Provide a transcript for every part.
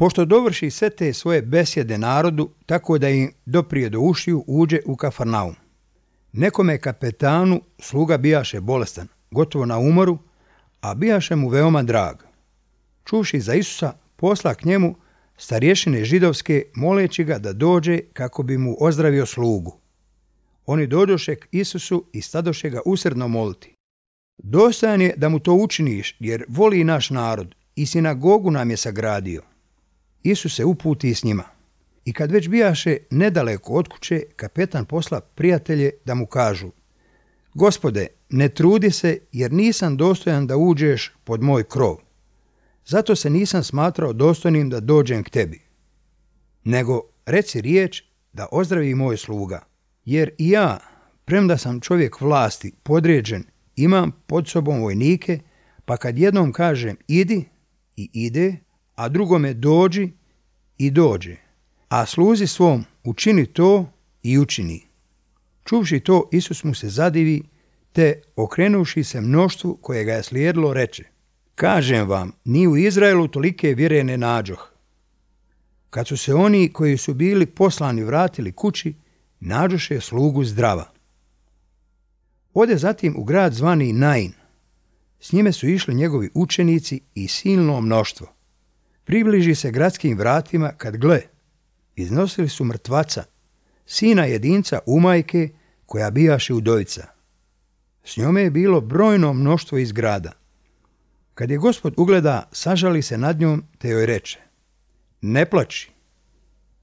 Pošto dovrši sve te svoje besjede narodu, tako da im doprije do ušiju, uđe u Kafarnaum. Nekome kapetanu sluga bijaše bolestan, gotovo na umoru, a bijaše mu veoma drag. Čuvši za Isusa, posla k njemu starješine židovske, moleći ga da dođe kako bi mu ozdravio slugu. Oni dođoše k Isusu i stadoše ga usredno moliti. Dostojan je da mu to učiniš, jer voli naš narod i sinagogu nam je sagradio. Isus se uputi s njima. I kad već bijaše nedaleko od kuće, kapetan posla prijatelje da mu kažu: Gospode, ne trudi se, jer nisam dostojan da uđeš pod moj krov. Zato se nisam smatrao dostojnim da dođem k tebi. Nego reci riječ da ozdravi moj sluga. Jer i ja, premda sam čovjek vlasti, podređen, imam pod sobom vojnike, pa kad jednom kažem idi i ide, a drugome dođi i dođe, a sluzi svom učini to i učini. Čuvši to, Isus mu se zadivi, te okrenuši se mnoštvu koje ga je slijedilo, reče: Kažem vam, ni u Izraelu tolike vjere ne nađoh. Kad su se oni koji su bili poslani vratili kući, nađoše slugu zdrava. Ode zatim u grad zvani Nain. S njime su išli njegovi učenici i silno mnoštvo. Približi se gradskim vratima kad gle, iznosili su mrtvaca, sina jedinca umajke koja bijaše udovica. S njome je bilo brojno mnoštvo iz grada. Kad je Gospod ugleda, sažali se nad njom, te joj reče: Ne plači.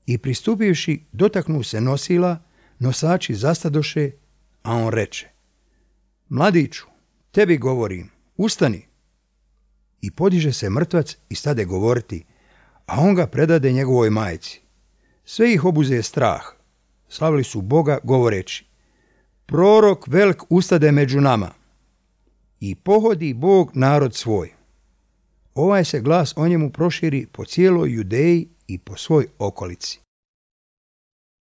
I pristupivši, dotaknu se nosila, nosači zastadoše, a on reče: Mladiću, tebi govorim, ustani. I podiže se mrtvac i stade govoriti, a on ga predade njegovoj majci. Sve ih obuze strah. Slavili su Boga govoreći: Prorok velik ustade među nama. I pohodi Bog narod svoj. Ovaj se glas o njemu proširi po cijeloj Judeji i po svoj okolici.